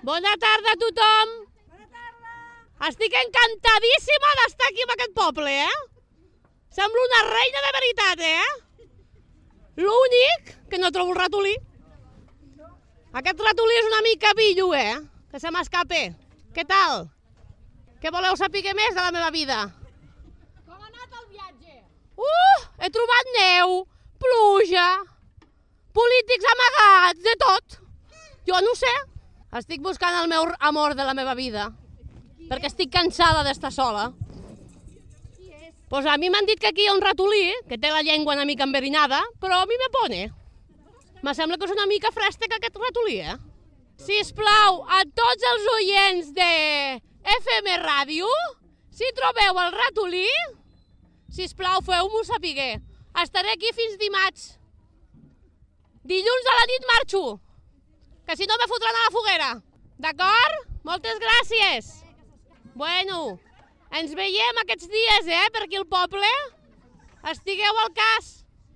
Bona tarda a tothom. Bona tarda. Estic encantadíssima d'estar aquí en aquest poble, Semblo una reina de veritat, L'únic que no trobo el ratolí. Aquest ratolí és una mica pillo, Que se m'escape. Què tal? Què voleu saber més de la meva vida? Com ha anat el viatge? He trobat neu, pluja, polítics amagats, de tot. Jo no ho sé. Estic buscant el meu amor de la meva vida, perquè estic cansada d'estar sola. Pues a mi m'han dit que aquí hi ha un ratolí, que té la llengua una mica enverinada, però a mi me pone. Me sembla que és una mica frèstec aquest ratolí, Sisplau, a tots els oients de FM Ràdio, si trobeu el ratolí, sisplau, feu-m'ho saber. Estaré aquí fins dimarts. Dilluns a la nit marxo, que si no me fotran a la foguera. D'acord? Moltes gràcies. Bueno, ens veiem aquests dies, per aquí al poble. Estigueu al cas.